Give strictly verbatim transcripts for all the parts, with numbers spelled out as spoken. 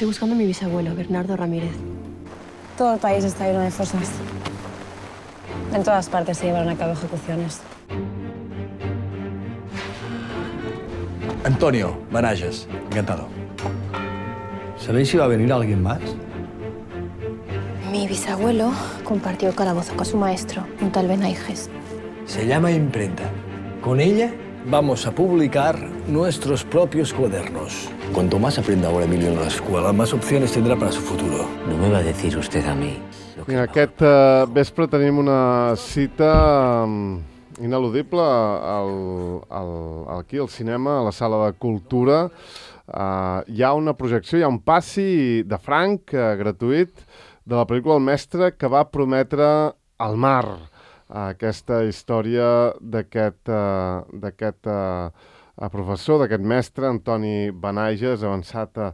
Estoy buscando a mi bisabuelo, Bernardo Ramírez. Todo el país está lleno de fosas. En todas partes se llevaron a cabo ejecuciones. Antonio Benages, encantado. ¿Sabéis si va a venir alguien más? Mi bisabuelo compartió calabozo con su maestro, un tal Benaiges. Se llama imprenta. Con ella Vamos a publicar nuestros propios cuadernos. Cuanto más aprenda ahora Emilio en la escuela, más opciones tendrá para su futuro. No me va a decir usted a mí. Mira, aquest uh, vespre tenim una cita um, ineludible al, al, aquí al cinema, a la sala de cultura. Uh, hi ha una projecció, hi ha un passi de franc, uh, gratuït, de la pel·lícula El mestre que va prometre al mar. Uh, aquesta història d'aquest uh, d'aquest uh, professor, d'aquest mestre, Antoni Benages, avançat uh,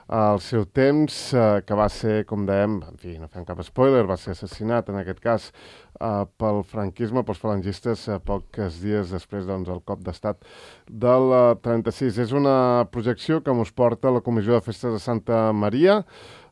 al seu temps, uh, que va ser, com dèiem, en fi, no fem cap spoiler, va ser assassinat, en aquest cas, uh, pel franquisme, pels falangistes, uh, pocs dies després, doncs, del cop d'estat del uh, trenta-sis. És una projecció que mos porta la Comissió de Festes de Santa Maria,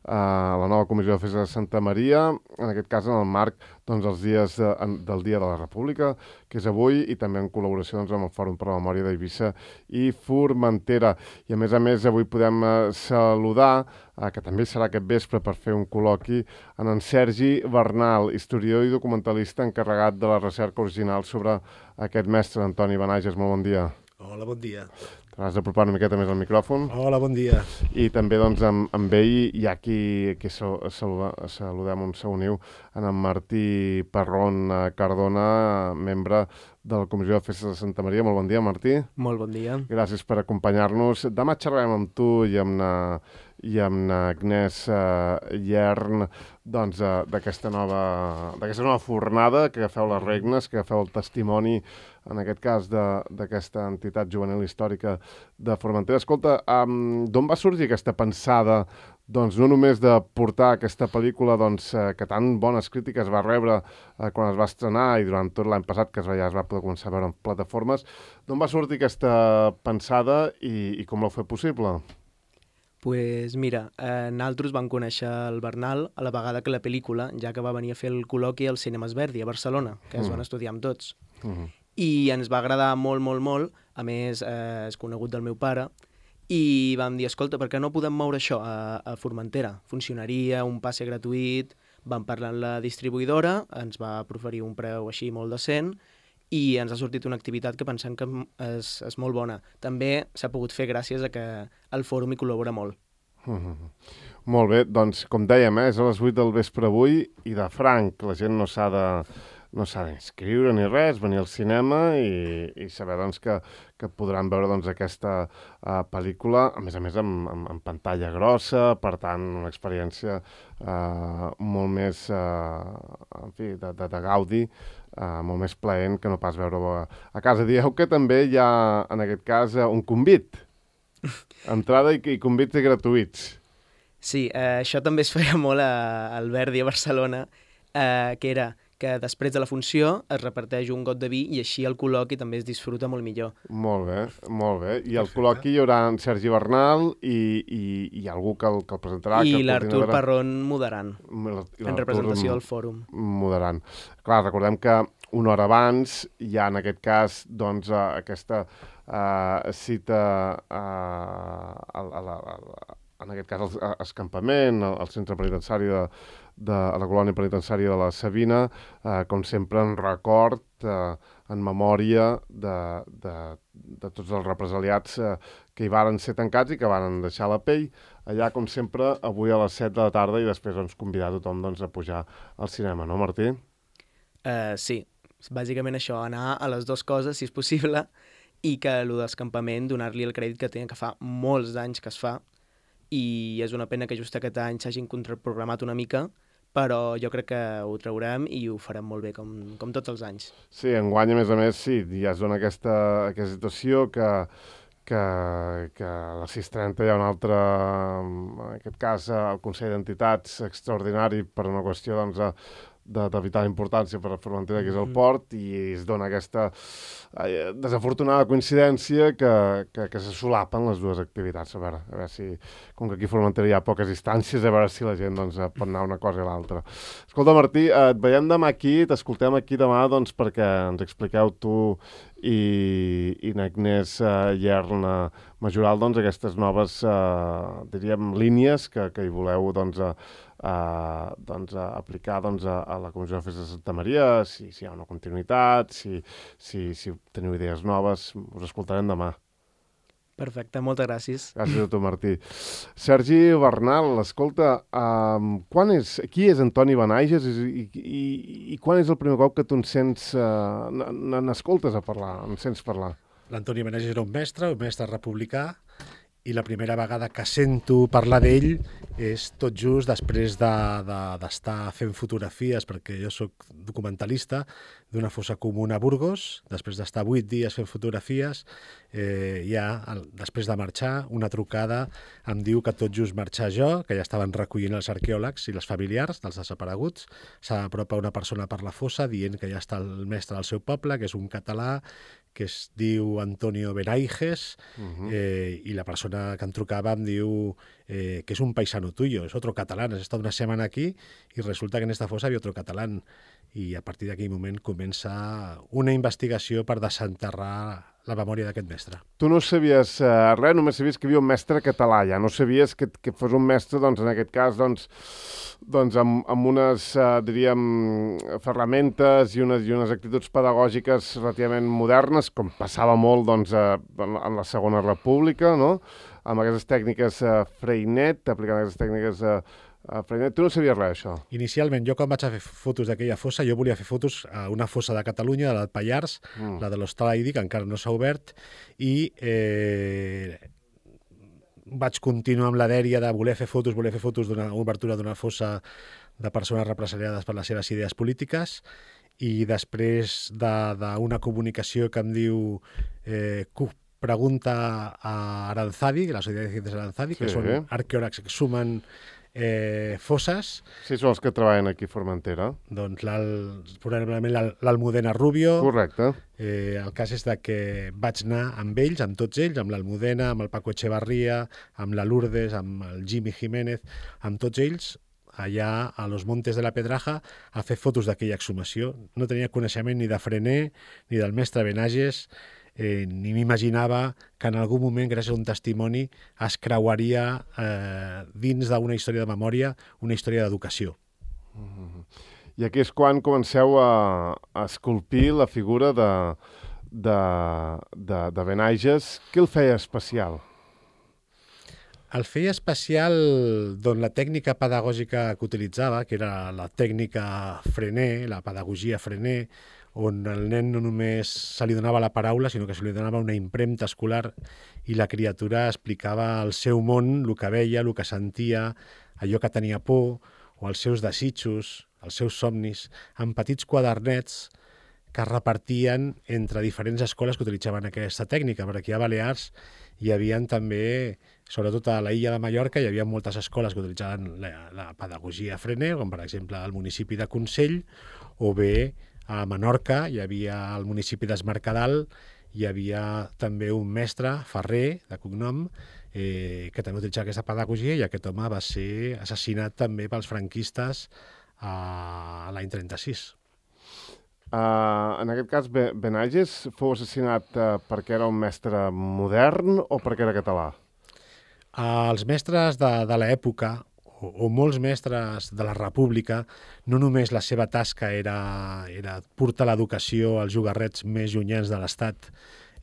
Uh, la nova Comissió de Festes de Santa Maria, en aquest cas en el marc doncs, dels dies de, en, del Dia de la República, que és avui, i també en col·laboració doncs, amb el Fòrum per la Memòria d'Eivissa i Formentera. I a més a més avui podem uh, saludar, uh, que també serà aquest vespre per fer un col·loqui, en en Sergi Bernal, historiador i documentalista encarregat de la recerca original sobre aquest mestre, Antoni Benages. Molt bon dia. Hola, bon dia. T'has d'apropar una miqueta més al micròfon. Hola, bon dia. I també doncs, amb, amb ell hi ha qui, qui saluda, saludem un seu niu, en en Martí Parrón Cardona, membre de la Comissió de Festes de Santa Maria. Molt bon dia, Martí. Molt bon dia. Gràcies per acompanyar-nos. Demà xerrarem amb tu i amb na, i amb na Agnès uh, Llern doncs, uh, d'aquesta nova, d'aquesta nova fornada, que agafeu les regnes, que agafeu el testimoni, en aquest cas, d'aquesta entitat juvenil històrica de Formentera. Escolta, um, d'on va sorgir aquesta pensada, doncs, no només de portar aquesta pel·lícula doncs, eh, que tan bones crítiques va rebre eh, quan es va estrenar i durant tot l'any passat, que es va, ja es va poder començar a veure en plataformes, d'on va sortir aquesta pensada i, i com l'heu fet possible? Pues mira, eh, nosaltres vam conèixer el Bernal a la vegada que la pel·lícula, ja que va venir a fer el col·loqui al Cinemes Verdi, a Barcelona, que es mm. van estudiar amb tots. Mm. I ens va agradar molt, molt, molt. A més, eh, és conegut del meu pare. I vam dir, escolta, per què no podem moure això a, a Formentera? Funcionaria, un passe gratuït, vam parlar amb la distribuïdora, ens va proferir un preu així molt decent i ens ha sortit una activitat que pensem que és, és molt bona. També s'ha pogut fer gràcies a que el fòrum hi col·labora molt. Mm-hmm. Molt bé, doncs com dèiem, eh, és a les vuit del vespre avui i de franc, la gent no s'ha de... no s'ha d'inscriure ni res, venir al cinema i, i saber doncs, que, que podran veure doncs, aquesta uh, pel·lícula, a més a més amb, amb, amb pantalla grossa, per tant una experiència uh, molt més uh, en fi, de, de, de gaudi, uh, molt més plaent que no pas veure-ho a, a casa. Dieu que també hi ha, en aquest cas, uh, un convit, entrada i, i convits gratuïts. Sí, eh, això també es feia molt a, al Verdi a Barcelona, eh, que era que després de la funció es reparteix un got de vi i així el col·loqui també es disfruta molt millor. Molt bé, molt bé. I al col·loqui hi haurà en Sergi Bernal i, i, i algú que el, que el presentarà. I l'Artur Parrón moderant, en representació del fòrum. Moderant. Clar, recordem que una hora abans hi ha en aquest cas doncs, aquesta uh, cita uh, a, a, a, a, en aquest cas el escampament, el, el centre penitenciari de de a la colònia penitenciària de la Sabina, eh, com sempre en record, eh, en memòria de, de, de tots els represaliats eh, que hi varen ser tancats i que varen deixar la pell. Allà, com sempre, avui a les set de la tarda i després doncs, convidar tothom doncs, a pujar al cinema, no, Martí? Uh, sí, bàsicament això, anar a les dues coses, si és possible, i que el d'escampament, donar-li el crèdit que té, que fa molts anys que es fa, i és una pena que just aquest any s'hagin contraprogramat una mica, però jo crec que ho traurem i ho farem molt bé, com, com tots els anys. Sí, enguany, a més a més, sí, ja es dona aquesta, aquesta situació que, que, que a les sis trenta hi ha un altre, en aquest cas, el Consell d'Entitats extraordinari per una qüestió doncs, de, de, de vital importància per a Formentera, que és el port, i es dona aquesta eh, desafortunada coincidència que, que, que se solapen les dues activitats. A veure, a veure si, com que aquí a Formentera hi ha poques distàncies, a veure si la gent doncs, pot anar una cosa i l'altra. Escolta, Martí, eh, et veiem demà aquí, t'escoltem aquí demà doncs, perquè ens expliqueu tu i, i n'Agnès uh, Llerna Majoral doncs, aquestes noves uh, diríem, línies que, que hi voleu doncs, uh, uh, doncs, uh, aplicar doncs, a, a la Comissió de Festes de Santa Maria, si, si hi ha una continuïtat, si, si, si teniu idees noves, us escoltarem demà. Perfecte, moltes gràcies. Gràcies a tu, Martí. Sergi Bernal, escolta, um, quan és, qui és Antoni Benaiges i, i, i quan és el primer cop que tu en sents, uh, n'escoltes a parlar, en sents parlar? L'Antoni Benaiges era un mestre, un mestre republicà, i la primera vegada que sento parlar d'ell és tot just després d'estar de, de, fent fotografies, perquè jo sóc documentalista, d'una fossa comuna a Burgos. Després d'estar vuit dies fent fotografies, eh, ja, el, després de marxar, una trucada em diu que tot just marxar jo, que ja estaven recollint els arqueòlegs i les familiars dels desapareguts, s'apropa una persona per la fossa dient que ja està el mestre del seu poble, que és un català, que es diu Antonio Benaiges, uh-huh. eh, i la persona que em trucava em diu eh, que és un paisano tuyo, és otro catalán, has estat una setmana aquí i resulta que en esta fossa hi ha otro catalán. I a partir d'aquell moment comença una investigació per desenterrar la memòria d'aquest mestre. Tu no sabies eh, res, només sabies que hi havia un mestre català, ja no sabies que, que fos un mestre, doncs, en aquest cas, doncs, doncs amb, amb unes, eh, diríem, ferramentes i unes, i unes actituds pedagògiques relativament modernes, com passava molt doncs, eh, en, en la Segona República, no? Amb aquestes tècniques eh, Freinet, aplicant aquestes tècniques eh, Uh, Freinet, tu no sabies res, això? Inicialment, jo quan vaig a fer fotos d'aquella fossa, jo volia fer fotos a una fossa de Catalunya, de l'Alt Pallars, mm. la de l'Hostal Aidi, que encara no s'ha obert, i eh, vaig continuar amb la dèria de voler fer fotos, voler fer fotos d'una obertura d'una fossa de persones represaliades per les seves idees polítiques, i després d'una comunicació que em diu eh, pregunta a Aranzadi, la Societat de Ciències Aranzadi, que sí. Són arqueòlegs que sumen Eh, fosses. Sí, són els que treballen aquí a Formentera. Doncs probablement l'Almudena Rubio. Correcte. Eh, el cas és de que vaig anar amb ells, amb tots ells, amb l'Almudena, amb el Paco Echevarría, amb la Lourdes, amb el Jimmy Jiménez, amb tots ells, allà a los Montes de la Pedraja, a fer fotos d'aquella exhumació. No tenia coneixement ni de Freinet, ni del mestre Benaiges, Eh, ni m'imaginava que en algun moment, gràcies a un testimoni, es creuaria eh, dins d'una història de memòria, una història d'educació. Mm-hmm. I aquí és quan comenceu a, a esculpir la figura de, de, de, de Benaiges. Què el feia especial? El feia especial doncs, la tècnica pedagògica que utilitzava, que era la tècnica Freinet, la pedagogia Freinet, on el nen no només se li donava la paraula, sinó que se li donava una impremta escolar i la criatura explicava el seu món, el que veia, el que sentia, allò que tenia por, o els seus desitjos, els seus somnis, en petits quadernets que es repartien entre diferents escoles que utilitzaven aquesta tècnica, perquè aquí a Balears hi havia també, sobretot a la illa de Mallorca, hi havia moltes escoles que utilitzaven la, la pedagogia Freinet, com per exemple el municipi de Consell, o bé a Menorca hi havia al municipi d'Esmercadal, hi havia també un mestre, Ferrer, de cognom, eh, que també utilitzava aquesta pedagogia, i aquest home va ser assassinat també pels franquistes a l'any trenta-sis. Uh, en aquest cas, Benaiges fou assassinat uh, perquè era un mestre modern o perquè era català? Uh, els mestres de, de l'època, o, o molts mestres de la República, no només la seva tasca era, era portar l'educació als llogarrets més llunyans de l'Estat,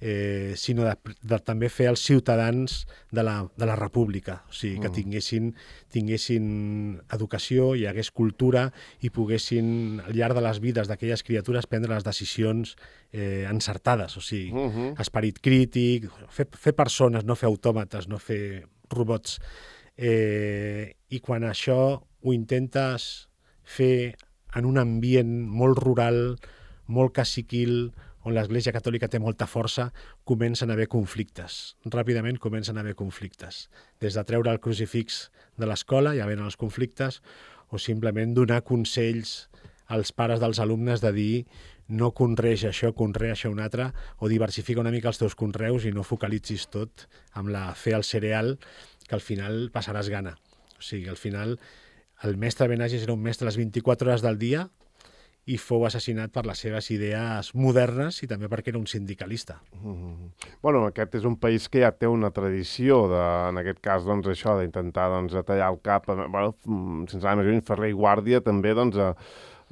eh, sinó de, de també fer els ciutadans de la, de la República, o sigui, que tinguessin, tinguessin educació, hi hagués cultura i poguessin, al llarg de les vides d'aquelles criatures, prendre les decisions eh, encertades, o sigui, uh -huh. esperit crític, fer, fer persones, no fer autòmates, no fer robots. Eh, I quan això ho intentes fer en un ambient molt rural, molt caciquil, on l'Església Catòlica té molta força, comencen a haver conflictes. Ràpidament comencen a haver conflictes. Des de treure el crucifix de l'escola, ja venen els conflictes, o simplement donar consells als pares dels alumnes de dir no conreis això, conrea això un altre, o diversifica una mica els teus conreus i no focalitzis tot amb la fe al cereal, que al final passaràs gana. O sigui, al final el mestre Benages era un mestre a les vint-i-quatre hores del dia i fou assassinat per les seves idees modernes i també perquè era un sindicalista. Mm-hmm. Bueno, aquest és un país que ja té una tradició, de, en aquest cas, doncs, això, d'intentar doncs, tallar el cap. Bueno, sense anar més lluny, Ferrer i Guàrdia també, doncs, a,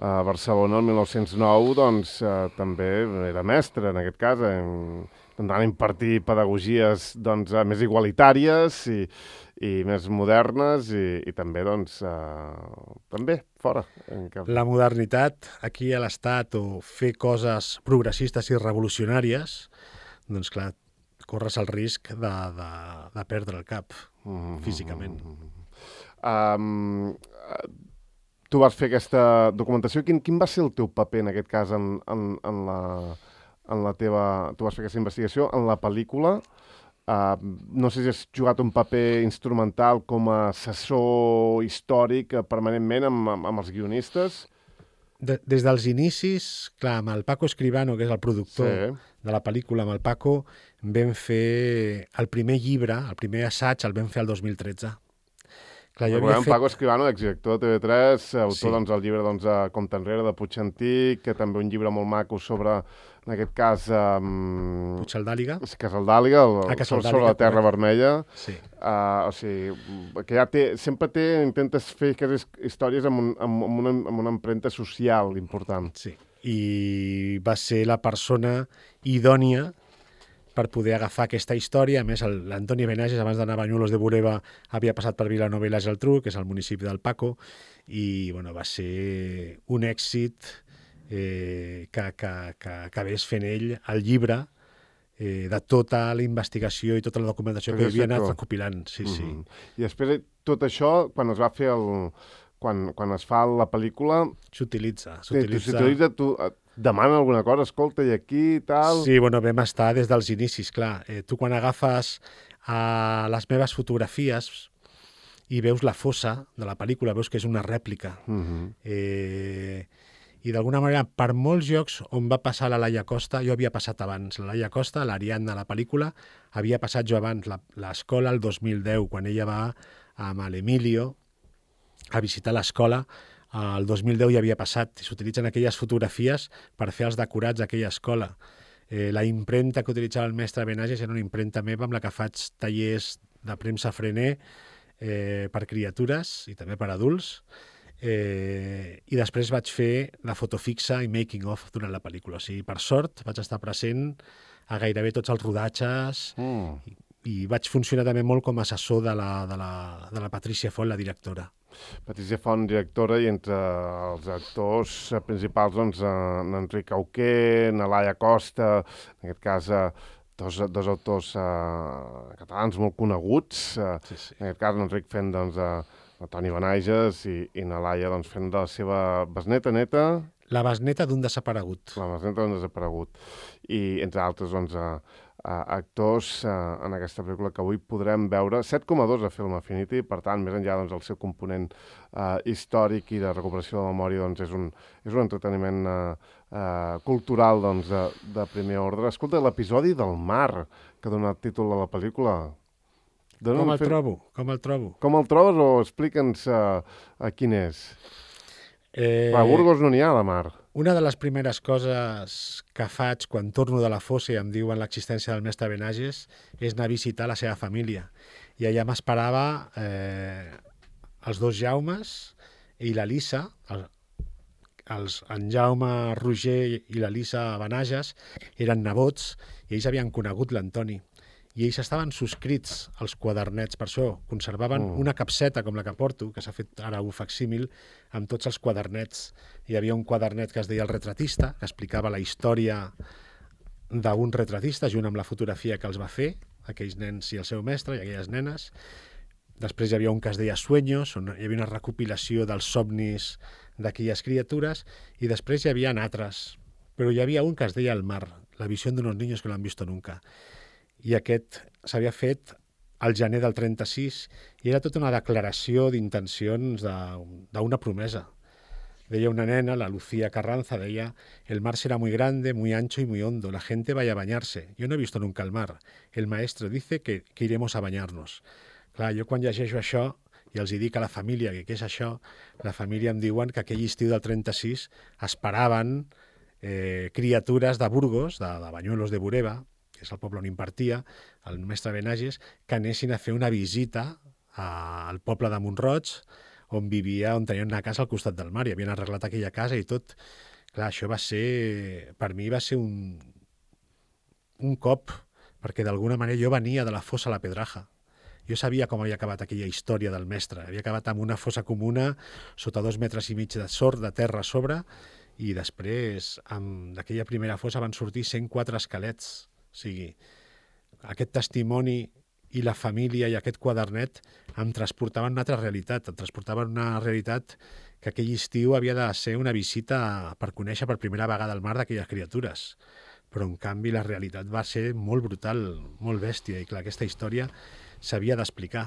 a Barcelona el mil nou-cents nou, doncs, eh, també era mestre, en aquest cas, en, intentant impartir pedagogies doncs, més igualitàries i, i més modernes i, i també, doncs, eh, també fora. Cap... La modernitat aquí a l'Estat o fer coses progressistes i revolucionàries, doncs clar, corres el risc de, de, de perdre el cap mm-hmm. físicament. Um, tu vas fer aquesta documentació. Quin, quin va ser el teu paper en aquest cas en, en, en la... en la teva... Tu vas fer aquesta investigació en la pel·lícula. Uh, no sé si has jugat un paper instrumental com a assessor històric uh, permanentment amb, amb, amb els guionistes. De, des dels inicis, clar, amb el Paco Escribano, que és el productor sí. de la pel·lícula, amb el Paco, vam fer el primer llibre, el primer assaig, el vam fer el dos mil tretze. Clar, jo Recordem, fet... Paco Escribano, exdirector de T V tres, autor sí. doncs, del llibre doncs, Compte Enrere, de Puig Antic, que també un llibre molt maco sobre, en aquest cas... Um... Puigcerdàliga. Casaldàliga, el, ah, Casaldàliga, sobre la Terra Vermella. Sí. Uh, o sigui, que ja té... Sempre té... Intentes fer aquestes històries amb, un, amb, amb, una, amb una empremta social important. Sí. I va ser la persona idònia per poder agafar aquesta història. A més, l'Antoni Benages, abans d'anar a Banyulos de Bureba, havia passat per Vilanova i la Geltrú, que és el municipi del Paco, i bueno, va ser un èxit eh, que, que, que acabés fent ell el llibre eh, de tota la investigació i tota la documentació que havia anat recopilant. Sí, mm-hmm. sí. I després tot això, quan es va fer el... Quan, quan es fa la pel·lícula... S'utilitza. S'utilitza, tu... Demana alguna cosa, escolta, i aquí, tal... Sí, bueno, vam estar des dels inicis, clar. Eh, tu quan agafes uh, les meves fotografies i veus la fossa de la pel·lícula, veus que és una rèplica. Mm-hmm. eh, I d'alguna manera, per molts llocs on va passar la Laia Costa, jo havia passat abans. La Laia Costa, l'Ariadna de la pel·lícula, havia passat jo abans. L'escola el dos mil deu, quan ella va amb l'Emilio a visitar l'escola, el dos mil deu ja havia passat. S'utilitzen aquelles fotografies per fer els decorats d'aquella escola. Eh, la impremta que utilitzava el mestre Benages era una impremta meva amb la que faig tallers de premsa frener eh, per criatures i també per adults. Eh, I després vaig fer la foto fixa i making of durant la pel·lícula. O sigui, per sort, vaig estar present a gairebé tots els rodatges mm. i, i vaig funcionar també molt com a assessor de la, de la, de la Patricia Font, la directora. Patricia Font, directora, i entre els actors principals, doncs, en Enric Auqué, na Laia Costa, en aquest cas, dos, dos autors uh, catalans molt coneguts, uh, sí, sí. En aquest cas, Enric fent, doncs, uh, Toni Benages i, i na Laia, doncs, fent de la seva besneta, neta... La besneta d'un desaparegut. La besneta d'un desaparegut. I, entre altres, doncs, uh, Uh, actors uh, en aquesta pel·lícula que avui podrem veure. set coma dos a Film Affinity, per tant, més enllà doncs, del seu component uh, històric i de recuperació de la memòria, doncs, és un, és un entreteniment uh, uh, cultural doncs, de, de primer ordre. Escolta, l'episodi del mar, que dona el títol a la pel·lícula... Dona com el fer... trobo? Com el trobo? Com el trobes o explica'ns uh, uh, quin és? Eh... A Burgos no n'hi ha, la mar. Una de les primeres coses que faig quan torno de la fossa i em diuen l'existència del mestre Benages és anar a visitar la seva família. I allà m'esperava eh, els dos Jaumes i la Lisa, el, els, en Jaume Roger i la Lisa Benages eren nebots i ells havien conegut l'Antoni. I ells estaven subscrits als quadernets, per això conservaven mm. una capseta com la que porto, que s'ha fet ara un facsímil, amb tots els quadernets. Hi havia un quadernet que es deia El retratista, que explicava la història d'un retratista, junt amb la fotografia que els va fer, aquells nens i el seu mestre i aquelles nenes. Després hi havia un que es deia Sueños, on hi havia una recopilació dels somnis d'aquelles criatures, i després hi havia altres. Però hi havia un que es deia El mar, la visió d'unos niños que no han visto nunca. I aquest s'havia fet al gener del trenta-sis i era tota una declaració d'intencions d'una promesa. Deia una nena, la Lucía Carranza, deia: el mar será muy grande, muy ancho y muy hondo, la gente vaya a bañarse. Yo no he visto nunca el mar. El maestro dice que, que iremos a bañarnos. Clar, jo quan llegeixo això i els hi dic a la família que què és això, la família em diuen que aquell estiu del trenta-sis esperaven eh, criatures de Burgos, de, de Banyuelos de Bureba, que és el poble on impartia, el mestre Benages, que anessin a fer una visita a, al poble de Mont-roig, on vivia, on tenien una casa al costat del mar, i havien arreglat aquella casa i tot. Clar, això va ser, per mi va ser un, un cop, perquè d'alguna manera jo venia de la fossa a la Pedraja. Jo sabia com havia acabat aquella història del mestre. Havia acabat amb una fossa comuna, sota dos metres i mig de sort, de terra a sobre, i després, d'aquella primera fossa van sortir cent quatre esquelets. O sigui, aquest testimoni i la família i aquest quadernet em transportaven una altra realitat, em transportaven una realitat que aquell estiu havia de ser una visita per conèixer per primera vegada el mar d'aquelles criatures. Però, en canvi, la realitat va ser molt brutal, molt bèstia, i clar, aquesta història s'havia d'explicar.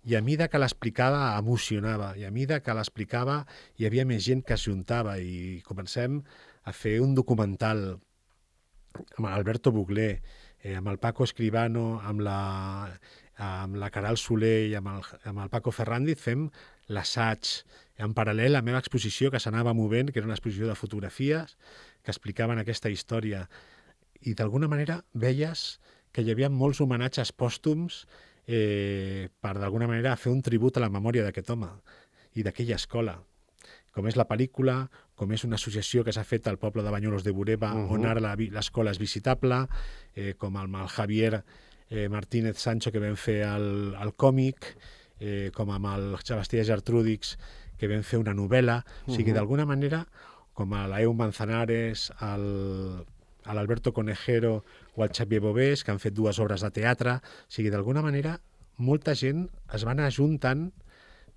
I a mida que l'explicava emocionava, i a mida que l'explicava hi havia més gent que s'ajuntava, i comencem a fer un documental amb l'Alberto Buglé, eh, amb el Paco Escribano, amb la, amb la Caral Soler i amb el, amb el Paco Ferrandiz, fem l'assaig. En paral·lel, la meva exposició que s'anava movent, que era una exposició de fotografies que explicaven aquesta història. I d'alguna manera veies que hi havia molts homenatges pòstums eh, per d'alguna manera fer un tribut a la memòria d'aquest home i d'aquella escola. Com és la pel·lícula, com és una associació que s'ha fet al poble de Banyuelos de Bureba, uh-huh. on ara l'escola és visitable, eh, com el, el Javier eh, Martínez Sancho que vam fer el, el còmic, eh, com amb el Sebastià Gertrúdix que vam fer una novel·la. Uh-huh. O sigui, d'alguna manera, com a l'Eu Manzanares, el, l'Alberto Conejero o el Xavier Bobés, que han fet dues obres de teatre. O sigui, d'alguna manera, molta gent es va anar ajuntant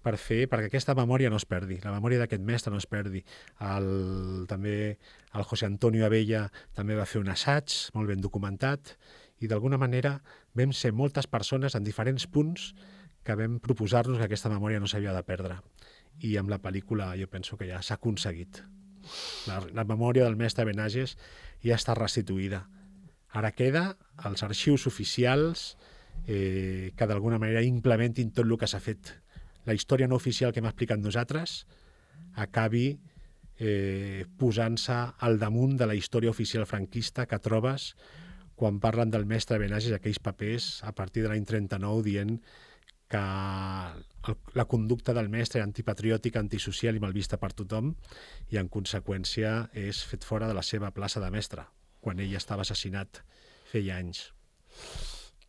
per fer, perquè aquesta memòria no es perdi, la memòria d'aquest mestre no es perdi. El, també el José Antonio Abella també va fer un assaig molt ben documentat, i d'alguna manera vam ser moltes persones en diferents punts que vam proposar-nos que aquesta memòria no s'havia de perdre. I amb la pel·lícula jo penso que ja s'ha aconseguit. La, la memòria del mestre Benages ja està restituïda. Ara queda els arxius oficials eh, que d'alguna manera implementin tot el que s'ha fet. La història no oficial que hem explicat nosaltres acabi eh, posant-se al damunt de la història oficial franquista que trobes quan parlen del mestre Benages, aquells papers a partir de l'any trenta-nou dient que el, la conducta del mestre era antipatriòtica, antisocial i mal vista per tothom, i en conseqüència és fet fora de la seva plaça de mestre, quan ell estava assassinat feia anys.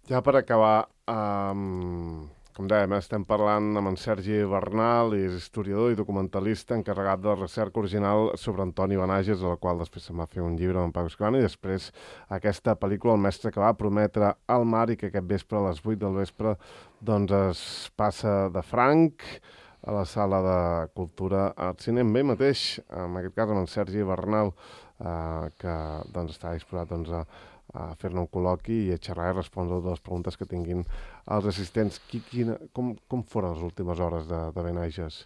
Ja per acabar, um, com dèiem, estem parlant amb en Sergi Bernal, és historiador i documentalista encarregat de la recerca original sobre Antoni Benages, de la qual després se'n va fer un llibre amb en Paco Escribano, i després aquesta pel·lícula, El mestre que va prometre al mar, i que aquest vespre a les vuit del vespre doncs es passa de franc a la sala de Cultura al Cine, amb ell mateix, en aquest cas amb en Sergi Bernal, eh, que doncs, està disposat doncs, a a fer-ne un col·loqui i a xerrar i respondre totes les preguntes que tinguin els assistents. Qui, quina, com, com foren les últimes hores de, de Benages?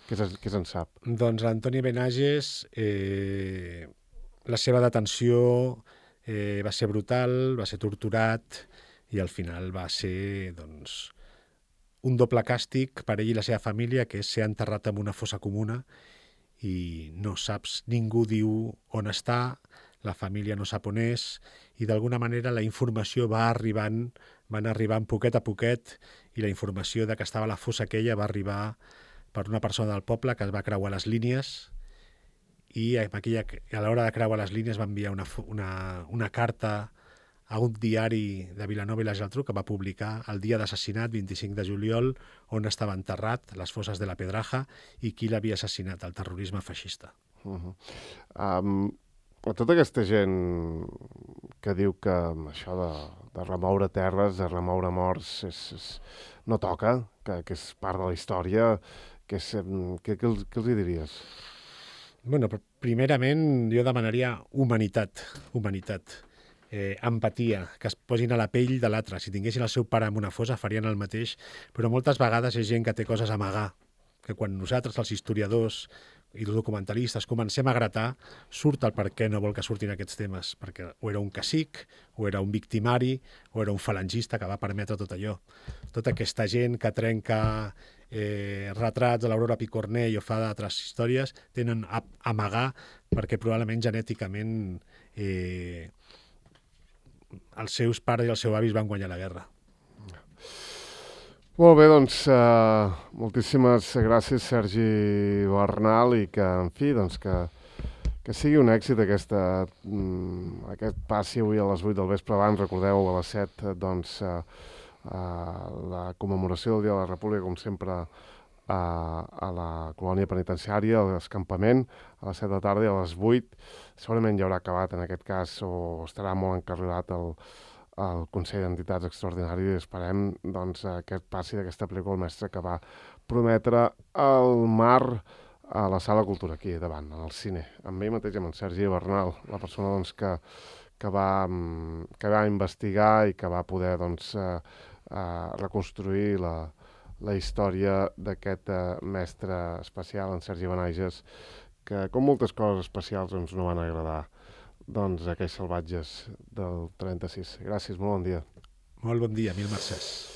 Què, què se'n sap? Doncs Antoni Benages, eh, la seva detenció eh, va ser brutal, va ser torturat, i al final va ser doncs, un doble càstig per ell i la seva família, que és ser enterrat en una fossa comuna i no saps, ningú diu on està, la família no sap on és, i d'alguna manera la informació va arribant, van arribant poquet a poquet, i la informació de que estava a la fossa aquella va arribar per una persona del poble que es va creuar les línies, i aquella, a l'hora de creuar les línies va enviar una, una, una carta a un diari de Vilanova i la Geltrú que va publicar el dia d'assassinat, vint-i-cinc de juliol, on estava enterrat, les fosses de la Pedraja, i qui l'havia assassinat, el terrorisme feixista. Uh-huh. Um... Tota aquesta gent que diu que això de, de remoure terres, de remoure morts, és, és, no toca, que, que és part de la història, que és, què, què, els, què els hi diries? Bueno, primerament jo demanaria humanitat, humanitat, eh, empatia, que es posin a la pell de l'altre. Si tinguessin el seu pare en una fossa farien el mateix, però moltes vegades és gent que té coses a amagar, que quan nosaltres, els historiadors, i els documentalistes comencem a gratar, surt el per què no vol que surtin aquests temes, perquè o era un cacic, o era un victimari, o era un falangista que va permetre tot allò. Tota aquesta gent que trenca eh, retrats de l'Aurora Picornell o fa d'altres històries, tenen a amagar perquè probablement genèticament eh, els seus pares i els seus avis van guanyar la guerra. Molt bé, doncs, uh, moltíssimes gràcies, Sergi Bernal, i que, en fi, doncs, que, que sigui un èxit aquesta, mm, aquest passi avui a les vuit del vespre. Abans, recordeu, a les set, doncs, uh, uh, la commemoració del Dia de la República, com sempre, uh, a la colònia penitenciària, a l'escampament, a les set de la tarda, i a les vuit segurament ja haurà acabat, en aquest cas, o estarà molt encarrilat el al Consell d'Entitats Extraordinari, i esperem doncs, aquest passi d'aquesta pel·lícula, el mestre que va prometre el mar a la Sala Cultura, aquí davant, al cine, amb ell mateix, amb en Sergi Bernal, la persona doncs, que, que, va, que va investigar i que va poder doncs, eh, eh, reconstruir la, la història d'aquest eh, mestre especial, en Sergi Benages, que com moltes coses especials doncs, no van agradar doncs aquells salvatges del trenta-sis. Gràcies, molt bon dia. Molt bon dia, mil mercès.